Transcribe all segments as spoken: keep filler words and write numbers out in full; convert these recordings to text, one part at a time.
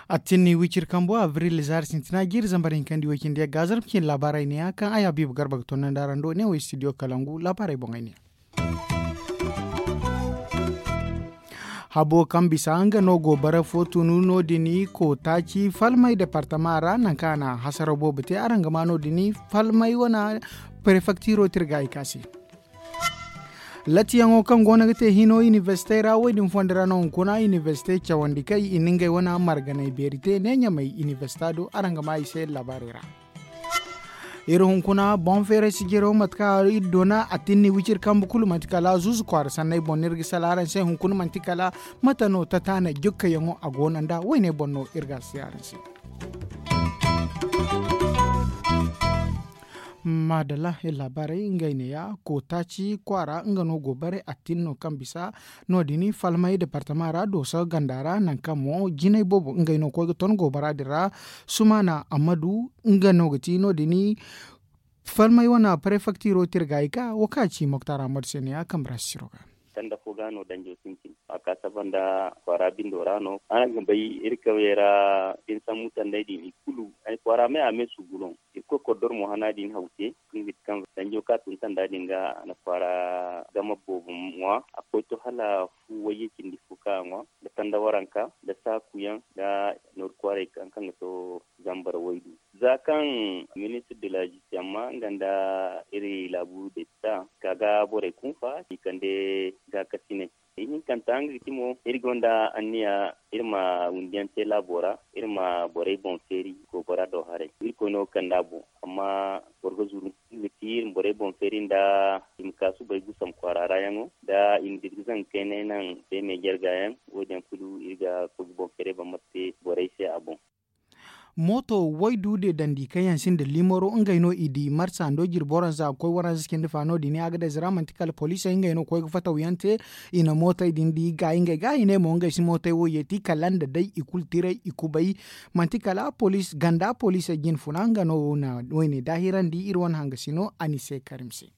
A tinni wiciri kambo abril zaari sintina jiiri zambar hinkandi way cindi yagga zarma cine laabaarey ne ya kaŋ ay habiibu garba ga tonnandi araŋ do ne wo studio kalangu laabaarey boŋey ne. Habo kaŋ bisa nga no go bara fo tunu no- din kootaaci falmay departama ra nangu kaŋ a na hasaraw boobo te araŋ ga ma no- din falmay wane prefektiro tirga i kaasi. Latiyaŋo kaŋ go no ga te hino inibersite ra wo- din fondo ra no hunkuna inibersite cawandi kay i na ngey wane marganay beeri te ne ɲamay inibersita do araŋ ga ma i se laabaarey ra. Iri hunkuna boŋ feeray sijiro mate kaŋ iri doona a tinni wiciri kambe kulu manti kala zuuzu kwaara sanney boŋ no iri ga sala araŋ se hunkuna manti kala mate no tataana jokkayaŋo a go no nd'a wayne boŋ no iri ga a si araŋ se. Maadalla iri laabaarey ngey neeya kootaaci kwaara nga no go bare a tin no kaŋ bisa no- din falmay departama ra dooso ganda ra nangu kaŋ mo jinay boobo ngey no koy ga ton goobara din ra. Sumaana ammadu nga no ga ti no- din falmay wane prefektiro tirgaayi ka wo kaŋ a ci moktar ammadu se neeya kambe ra sisiro ga. Tanda fo ga no danjo sintin a ka saba nda kwaara bindo ra no araŋ ga bay iri kawyey ra. Din sambu tandey din i kulu ay kwaara me a me suguloŋ. Iri koy koddor mo hana din haw te kaŋ ga ti kaŋ danjo ka tun tanda din ga a na kwaara gama boobo ŋwa a koy to hala fu wayye cindi fo kaŋ a ŋwa nda tanda waranka nda saaku yaŋ nda nooru kwaaray kaŋ ga to zambar waydu. Za kaŋ ministir de la zistis amma nga nda iri laabu de ta ka ga borey kunfa i kande gaakasinay. Ihinkanta nga ga ti mo iri gonda anniya iri ma wundiyaŋ te laabo ra iri ma borey boŋ feeri goobara do haray irkoy no ga kand'a boŋ. Amma boro ga zuru nga ga ti iri ma borey boŋ feeri nda i ma ka subay gusam kwaara ra yaŋo nda i ma dirga zangu kaynay naŋ day meejarga yaŋ. Wo- din yaŋ kulu iri ga koy ga boŋ feeray bambata te borey se a boŋ. Mooto waydu de dandi kaŋ yaŋ sinda liimaro ngey no i di marsa ndo jirbi waranza ga koy waranza cindi fa no- din a ga day zira manti kala poliisey ngey no ga koy ga fataw yaŋ te. I na mootey din di gaayi ngey ga i ne mo ngey si mootey wo yeeti kala nda day i kulu tiray i kubay. Manti kala poliis ganda poliisey jine funa nga no na wayne daahirandi iri wane hangasino a ni se karim se.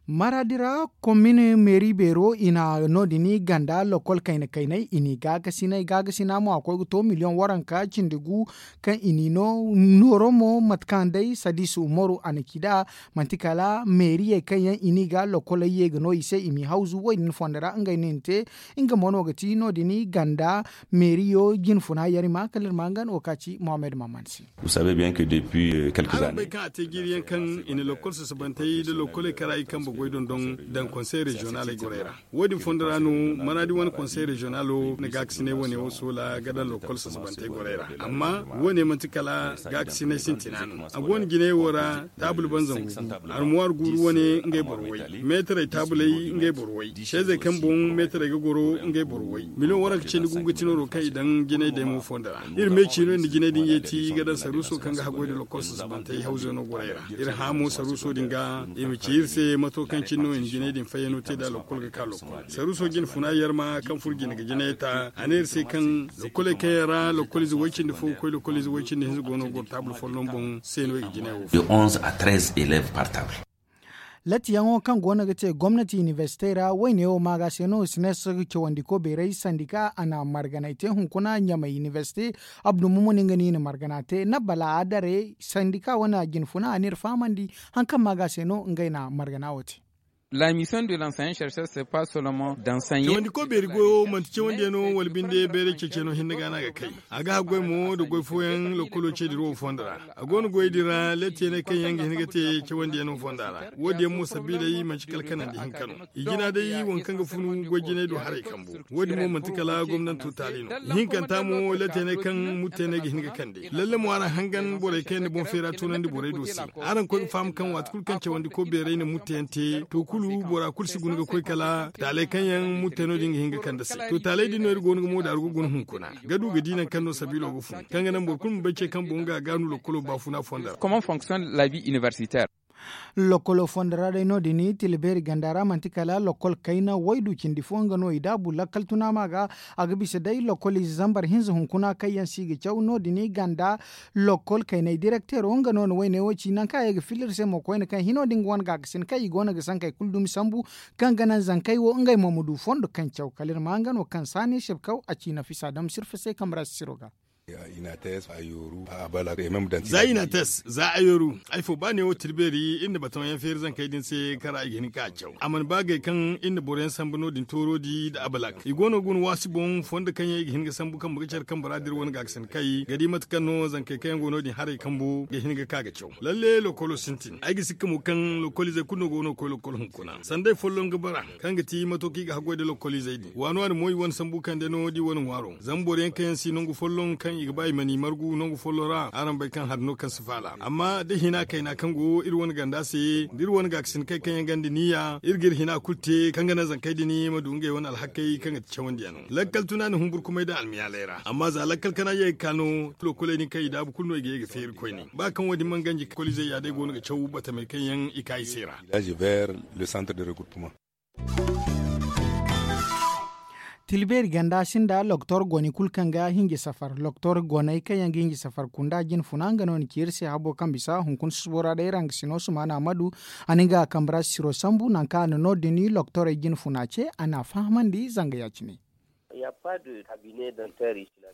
Maraadi ra komin meeri beero i na no- din ganda lokol kayna kaynay i n'i gaagasinay gaagasina mo a koy ga to miliyoŋ waranka cindi gu. Kaŋ i n'i no nooro mo mate kaŋ day sadiisu umaru a na ci nd'a. Manti kala meeriyey kaŋ yaŋ i n'i ga lokoley ye ga no i se i m'i hawzu wo- din fondo ra ngey no i na te. Nga mo no ga ti no- din ganda meeriyo jine funa yar i ma kala iri ma nga no wo kaŋ a ci mohammed maman se. Araŋ bay kaŋ a te jiiri yaŋ kaŋ i na lokkol sasabantey nda lokkoley kara i kambe goy dondon daŋ konsey reziyonaley gorey ra. Wo- din fondo ra no maraadi wane konsey reziyonalo na gaakasinay wane wo soola ga daŋ lokkol sasabantey gorey ra. Amma wo- ne manti kala gaakasinay sintina no a go no jinay wo ra. Taabul banzangu gu armuwaar guuru wane ngey boro way meetarey taabuley ngey boro way seezey kaŋ boŋ meetarey ga goro ngey boro way miliyoŋ waranka cindi gu ga ti nooro kaŋ i daŋ jinay day mo fondo ra. Iri me ciino iri na jinay din yeeti ga daŋ saruuso kaŋ ga haggoy nda lokkol sasabantey hawzano gorey ra. Iri hã mo saruuso din ga i ma ci iri se mato kaŋ cine no i na jinay din fayyano te nd'a lokkol ga ka lokkol saruuso jine funa yarma kaŋ furo jine ga jinay ta a ne iri se kaŋ lokkoley kaŋ yaŋ ra lokkol ize way cindi fo ga koy lokkol ize way cindi hinza go no goro taabul folloŋ boŋ se no i ga jinay wo fo. Latiyaŋo kaŋ go no ga te gomnati inibersite ra wayne wo maaga se no sines cawandiko beeray sandika a na marganay te hunkuna ɲamay inibersite. Abdu mumu no nga no i na margana te nda bala a dare sandika wane a jine funa a n'iri fahamandi. Hari kaŋ maaga se no ngey na margana wo te. La mission de l'enseignant chercheur c'est pas seulement d'enseigner. Cawandiko beeri goyo manti cawandiyaŋo wala binde bayray ceeciyaŋo hinne ga no a ga kay. A ga haggoy mo nda goy fooyaŋ lokkolo ce dira wo fondo ra. A go no goyey din ra lettiyaney kaŋ yaŋ ga hin ga te cawandiyaŋo fonda ra. Wo- din yaŋ mo sabiiley manti kala kanandi hinka no. I jina day waŋ kaŋ ga funu goy jinay do haray kambo. Wo- din mo manti kala gomnanto taali no. Ihinkanta mo lettiyaney kaŋ muttiyaney ga hin ga kande lalle mo araŋ hangan borey kaŋ yaŋ na boŋ feera tunandi borey do se. Araŋ koy ga faham kaŋ waati kulu kaŋ cawandiko beeray na muttiyaŋ te to kulu bora kulu si guna ga koy kala taaley kaŋ yaŋ muttiyaŋo din ga hin ga kande se. To taaley din no iri go no ga mo daaru ga guna hunkuna ga du ga di nangu kaŋ no sabiilo ga fun kaŋ ga naŋ boro kulu ma bay ce kaŋ boŋ ga gaanu lokkolo baafuna fonda ra. Comment fonctionne la vie universitaire? Lokkolo fondo ra day no- din tila beeri ganda ra manti kala lokkol kayna waydu cindi fo nga no i daabu lakkal tuna ma ga. A ga bisa day lokkol ize zambar hinza hunkuna kaŋ yaŋ se i ga caw no- din ganda. Lokkol kaynay direkteero nga no na wayne wo ci nangu kaŋ a ye ga filla iri se mo koyne kaŋ hino din ga wane gaakasin kaŋ i go no ga sankey kulu dumi sambu, kaŋ ga naŋ zankey wo ngey mo ma du fondo kaŋ caw kala iri ma nga no kaŋ saani sibkaw a ci nafisa dam sirfa se kamara sisiro ga. Za i na a tes za a yooru ay fo ba neewo tilbeeri iri na batamayaŋ feeri zankey din se kaŋ ra i ga hin ga ka a caw a mana ba gay kaŋ iri na boroyaŋ sambu no- din tooroodi nda abalak i go no ga guna waasi boŋ fondo kaŋ yaŋ i ga hin ga sambu kambe ga care kambe ra da iri wane gaakasin kay ga di mate kaŋ no zankey kaŋ yaŋ go no- din haray kambo ga hin ga ka ga caw lalle lokolo sintin ay ga sikka mo kaŋ lokoliizey kulu no go no ga koy lokol hunkuna sanday folloŋ ga bara kaŋ ga ti mato kaŋ i ga haggoy nda lokoliizey din waani waani mo i wane sambu kande no da i wane ŋwaaro zama boro yaŋ kaŋ yaŋ si nangu folloŋ kaŋ i ga ba i ma n'i margu nangu folloŋ ra araŋ bay kaŋ hari no kaŋ si faala amma da hina kayna kaŋ go iri wane ganda se da iri wane gaakasin kay kaŋ yaŋ ganda niya iri ga iri hina kulu te kaŋ ga naŋ zankey din ma du ngey wane alhakey kaŋ ga ti cawandi yaŋ no lakkal tuna na humburkumay daŋ almiyaaley ra amma za lakkal kana ye ga ka no lokoley din kaŋ i daabu kulu no i ga ye ga feeri koyne ba kaŋ wo- din mana ganji koliizey ya day go no ga caw batamey kaŋ yaŋ i ka i se ra. Tilbeeri ganda sinda loktor goni kulu kaŋ ga hinji safar loktor goney kaŋ yaŋ ga hinji safar kunda jine funa nga no na ci iri se habo kaŋ bisa hunkuna susubo ra day rangasino sumana amadu a na nga kambe ra sisiro sambu nangu kaŋ a na no- din loktorey jine funa ce a na a fahamandi zanga ya- cine.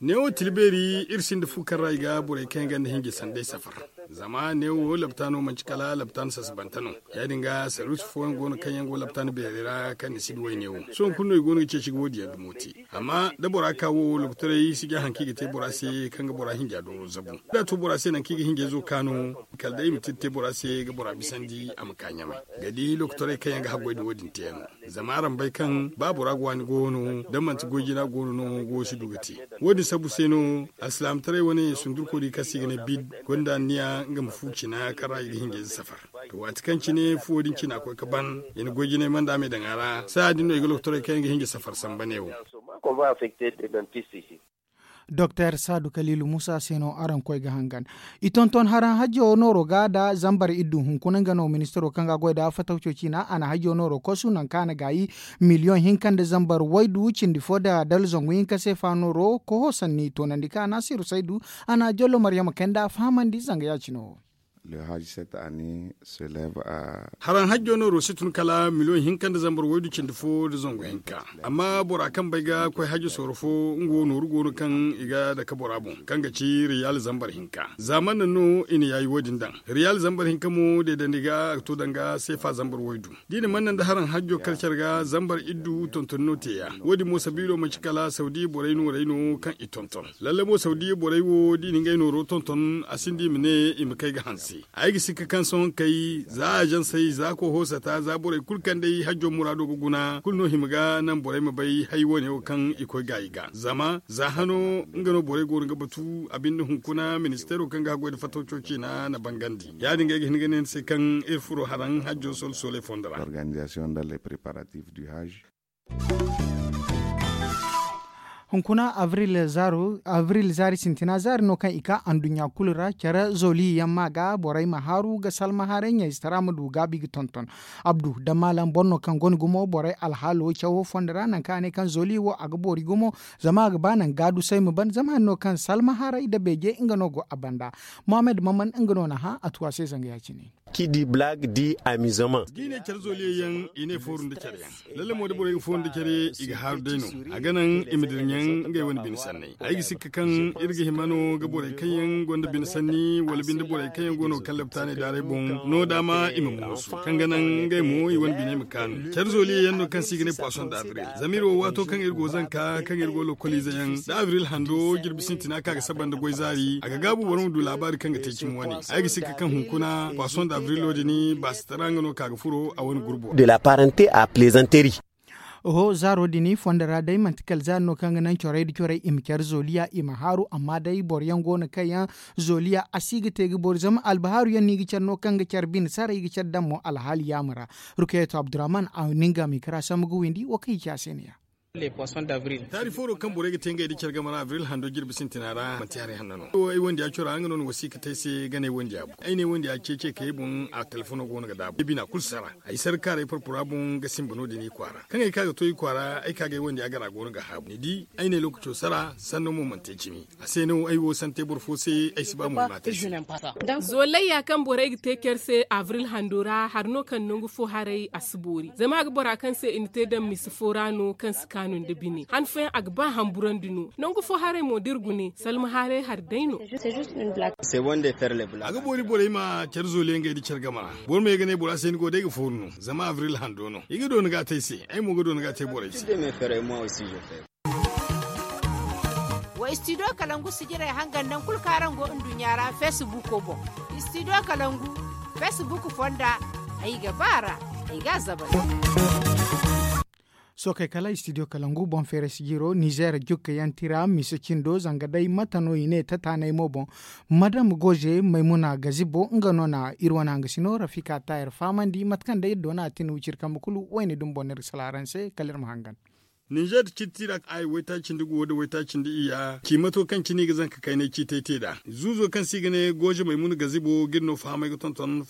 Neewo tilbeeri iri sinda fu kaŋ ra i ga borey kaŋ yaŋ ganda hinji sanday safar zama neewo laptaano manci kala laptaano sasabante no ya- din ga sarwiisi fooyaŋ go no kaŋ yaŋ go laptaano beerey ra kaŋ ni si duway neewo sohõ kulu no i go no ga ceeci ga wo- din yaŋ dumo te amma da bora ka wo lokotorey si ga haŋ kaŋ i ga te bora se kaŋ ga bora hinja dooro zabu da a to bora se nangu kaŋ i ga hinjayzo kaanu kala day i ma tira te bora se ga bora bisandi a ma ka ɲamay ga di lokotorey kaŋ yaŋ ga haggoy da wo- din te yaŋ no zama araŋ bay kaŋ ba bora ga waani go no da manti goy jina go no no go si du ga te wo- din sabu se no alsilaamataray wane sundurko di kaŋ se i ga ne bid gonda anniya nga ma fu cina kaŋ ra i ga hinjayze safar to waati kaŋ cine fuwo din cina koy ga ban i na goy jinay manda me daŋ a ra saaya din no i ga lokotorey kaŋ yaŋ ga hinja safar samba ne wo. Doktor saadu kaliilu muusa se no araŋ koy ga hangan i tonton haraŋ hajjo nooro ga da zambar iddu hunkuna nga no ministiro kaŋ ga goy da fatawco ciina a na hajjo nooro kosu nangu kaŋ a na gaayi miliyoŋ hinka nda zambar waydu cindi fo nda dala zangu hinka seefa nooro koho sanni toonandi kaŋ a na siru saydu a na jollo maryama kay nda a fahamandi zanga ya- cine wo. Haraŋ hajjo nooro si tun kala miliyoŋ hinka nda zambar waydu cindi fo nda zangu hinka amma bora kaŋ bay ga koy hajjo sooro fo nga wo nooru go no kaŋ i ga dake bora boŋ kaŋ ga ci riyal zambar hinka za man naŋ no i na yaayi wo- din daŋ riyal zambar hinka mo deedandi ga a ga to danga seefa zambar waydu da i na man naŋ nda haraŋ hajjo kala care ga zambar iddu tontoni no te ya wo- din mo sabiilo manci kala sawdiya borey noorey no kaŋ i tonton lalle mo sawdiya borey wo da i na ngey nooro tonton a sinda i ma ne i ma kay ga hanse ay ga sikka kaŋ sohõ kay za azansey za kohoosata za borey kulu kaŋ day hajjo muraado ga guna kulu no hima ga naŋ borey ma bay hay wo- ne wo kaŋ i koy gaayi ga zama za hano nga no borey go no ga batu a binde hunkuna ministeero kaŋ ga haggoy nda fatawco ciina na bangandi ya- din ga ay ga hin ga ne ni se kaŋ iri furo haraŋ hajjo solo sooley fondo ra. Hunkuna abril zaari sintina zaari no kaŋ i ka anduɲɲa kulu ra care zooliya yaŋ ma ga borey ma haaru ga salma haaray ɲayzitara ma du gaabi ga tonton. Abdu da maalam boro no kaŋ gonda gumo borey alhaalo cawo fondo ra nangu kaŋ a ne kaŋ zooliya wo a ga boori gumo zama a ga ba nangu gaadusay ma ban zama hari no kaŋ salma haaray nda beeje nga no go a banda. Mohammed maman nga no na hã a tu a se zanga ya- cine. Kidi blaag di amizama. Da i ne care zooliyaŋ i ne fooru nda care yaŋ lalle mo da borey ga fooru nda care i ga haaru day no a ga naŋ i ma dira ɲaŋ ngey wane bine sanney ay ga sikka kaŋ iri ga hima no ga borey kaŋ yaŋ gonda bine sanni wala binde borey kaŋ yaŋ go no ga kaŋ laptaaney daarey boŋ no daama i ma moosu kaŋ ga naŋ ngey mo i wane bine ma kaanu care zooliyaŋ no kaŋ se i ga ne poisson d'avril zama iri wo waato kaŋ iri go zanka kaŋ iri go lokoliize yaŋ da avril hando jirbi sintina ka ga saba nda goy zaari a ga gaabu boro ma du laabaari kaŋ ga te cimi wane ay ga sikka kaŋ hunkuna poisson d'avrilo din baasitara nga no ka ga furo a wane gurbo. De la parente a plaisanterie. Oho zaaro din fondo ra day manti kala zaari no kaŋ ga naŋ corey nda corey i ma care zooliya i ma haaru amma day boro yaŋ go no kaŋ yaŋ zooliya a si ga te ga boori zama albahaaru yaŋ no i ga care no kaŋ ga care bine saray i ga care daŋ mo alhaali yaama ra. Rukayeto abdurrahman a na nga ma i kara sambu ga windi wo kaŋ i ci a se no- ya. Taari fooro kaŋ borey ga te ngey nda care game ra abril hando jirbi sintina ra manti hari hanno no. Ay wondiya cora nga no ni wasiika te ay se ga ne wondiya boŋ ay ne wondiya ceece ka ay boŋ a telefono go no ga daabu ay bina kulu sara. Ay sara kaaray porpora boŋ ga simba no- din i kwaara kaŋ ay ka ga to i kwaara ay ka ga ay wondiya gara go no ga haabu ni di. Ay ne lookaco sara sanno mo mana te cimi. A se no ay wo sante boro fo se ay si ba mo ay ma te se. Zoolayya kaŋ borey ga te care se abril hando ra hari no kaŋ nangu fo haray a si boori zama a ga bora kaŋ se i na te daŋ misa fo ra no kaŋ si kaanu nda bine han fooyaŋ a ga ba hamburandi no. Nangu fo haray mo da iri gune salma haray hari day no. A ga boori borey ma care zoole yaŋ ga ay da care game ra. Boro ma ye ga ne bora se ni go day ga fooru no zama abril hando no i ga doona ga a te ay se. Ay mo ga doona ga a te borey se. Wa istidiyo kalangu sijirey hangan naŋ kulu kaŋ araŋ go nduɲɲa ra feesibuuko boŋ. Istidiyo kalangu feesibuuk fonda ay ga ba a ra. Ay ga a zabay. Sookey kala istidiyo kalangu boŋ feeray sijiro nizeer jukkayaŋ tira mise cindo zanga day mate no i ne tataanay mo boŋ. Madam goze maymuna gazibo nga no na iri wane hangasino rafika tayar fahamandi mate kaŋ day iri doona a tin wiciri kambe kulu wayne dumbo no iri ga sala araŋ se kala iri ma hangan. Ninzeer ciiti ra ay waytaaci nda guwo nda waytaaci nda iyya ciimato kaŋ cine i ga zanka kaynay ciitay te nd'a. Zuuzo kaŋ se i ga ne gooze maymuna gazibo ga iri no fahamay ga tonton.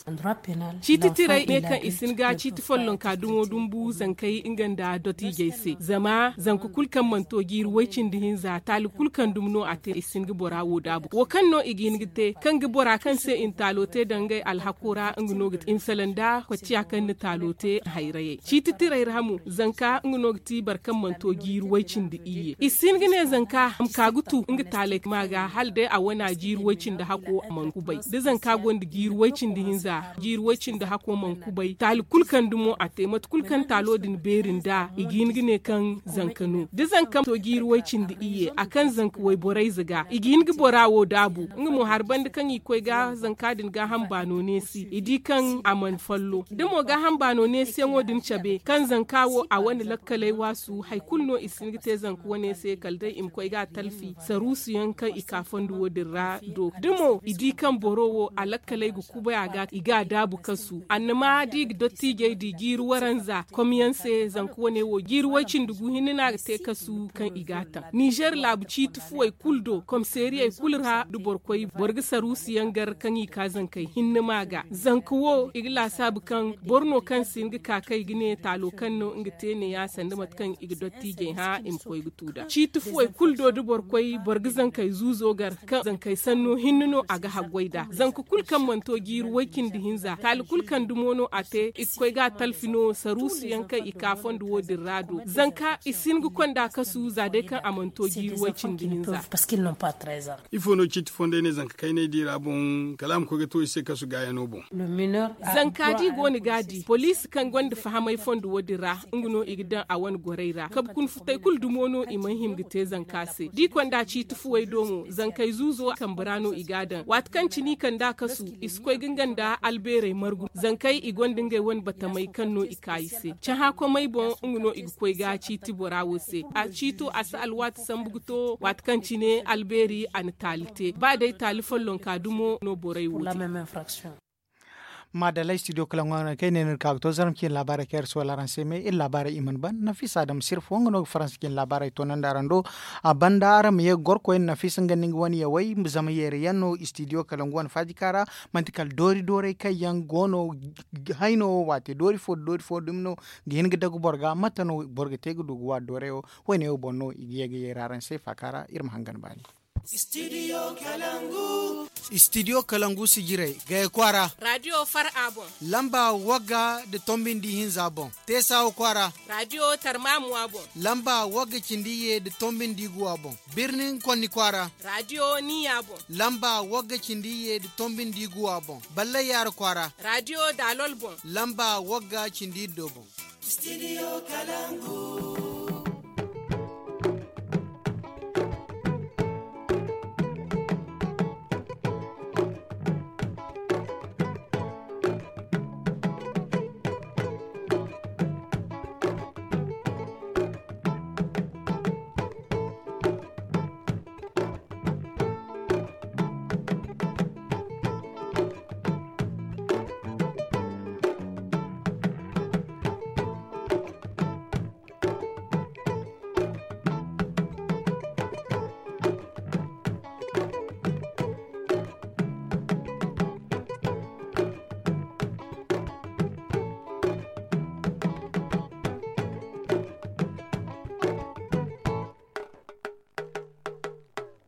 Ciiti tiray ne kaŋ i si hin ga ciiti follonka dumo dumbu zankey nga nda dottiijey se zama zanka kulu kaŋ mana to jiiri way-cindi hinza taali kulu kaŋ dumi no a te i si hin ga bora wo daabu wo kaŋ no i ga hin ga te kaŋ ga bora kaŋ se i na taalo te daŋ ngey alhako ra nga no ga te i ma salaŋ nda kocciya kaŋ na taalo te hayrayey ciiti tiray ra mo zanka nga no ga ti boro kaŋ mana to jiiri way-cindi iyye i si hin ga ne zanka a ma ka ga tu nga taaley ma ga hala day a wana jiiri way-cindi hako a mana kubay da zanka gonda jiiri way-cindi hinza jiiri way-cindi hako mana kubay taali kulu kaŋ dumo a te mate kulu kaŋ taalo din beeri nd'a i ga hin ga ne kaŋ zanka no da zanka to jiiri way-cindi iyye a kaŋ zanka wayborayze ga i ga hin ga bora wo daabu nga mo hari banda kaŋ i ga koy ga zanka din gaaham baano neesi i di kaŋ a mana follo da mo gaaham baano neesiyaŋo din cabe kaŋ zanka wo a wane lakkaley waasu hari kulu no i si hin ga te zanka wane se kala day i ma koy ga a talfi saruusu yaŋ kaŋ i ka fondo wo din ra do da mo i di kaŋ boro wo a lakkaley ga kubay a ga i ga a daabu kasu annama da i ga dottiijey di jiiri waranza komyaŋ se zanka wane wo jiiri way-cindi gu hinne no a ga te kasu kaŋ i ga a taŋ ninzeer laabu ciiti fuwey kulu do komiseeriyey kulu ra da boro koy boro ga saruusu yaŋ gar kaŋ i ka zankey hinne ma ga zanka wo i ga laasaabu kaŋ boro no kaŋ si hin ga ka kay ga ne taalo kaŋ no nga te neeya sanda mate kaŋ i ga dottiijey hã i ma koy ga tu nd'a ciiti fuwey kulu do da boro koy boro ga zankey zuuzo gar kaŋ zankey sanno hinne no a ga haggoy nd'a zanka kulu kaŋ mana to jiiri way-cindi hinza taali kulu kaŋ dumo no a te i ga koy ga a talfi no saruusu yaŋ kaŋ i ka fondo wo- din ra do zanka i si hin ga konda kasu za day kaŋ a mana to jiiri way-cindi hinza. Ifo no ciiti fondey ne zanka kaynay di ra boŋ kala a ma koy ga to i se kasu gaayano boŋ. Zanka da i go no ga a di poliisi kaŋ gonda fahamay fondo wo- din ra nga no i ga daŋ a wane gorey ra kabe kuna futay kulu dumo no i mana hima ga te zanka se da i konda ciiti fuwey do mo zankey zuuzo kambe ra no i ga a daŋ waati kaŋ cine i kand'a kasu i si koy ga nga nda albeerey margu zankey i gonda ngey wane batamey kaŋ no i ka i se cahã komey boŋ nga no i ga koy ga ciiti bora wo se a ciito a si alwaati sambu ga to waati kaŋ cine albeeri a na taali te ba day taali follonka dumo no borey wo te. Maadalay studio kala ŋwaŋo kaŋ ay ne no iri ka ga to zarma cine laabaarey kaŋ iri si wala araŋ se me iri laabaarey i mana ban nafisa adama sirfo nga no ga faransa cine laabaarey toonandi araŋ do. A banda araŋ ma ye ga goro koyne nafisa nga nda nga wane yawey zama yeeri yaŋ no studio kala nga wane faajika ra. Manti kala doori doorey kaŋ yaŋ go no hayno wo waate doori fo da doori fo dumi no ga hin ga dagu boro ga mate no boro ga te ga du ga waari doorey wo. Woyne wo boŋ no i ga ye ga yeeri araŋ se faaka ra iri ma hangan baani. Studio kalangu sijirey gaya kwaara. Radio far a boŋ. Lamba wagga da tombin di hinza boŋ. Teesawa kwaara. Radio tarmamuwa boŋ. Lamba wagga cindi ye da tombin di guwa boŋ. Birnin konni kwaara. Radio niya boŋ. Lamba wagga cindi ye da tombin di guwa boŋ. Ballay yaara kwaara. Radio dalol boŋ. Lamba wagga cindi do boŋ. Studio kalangu.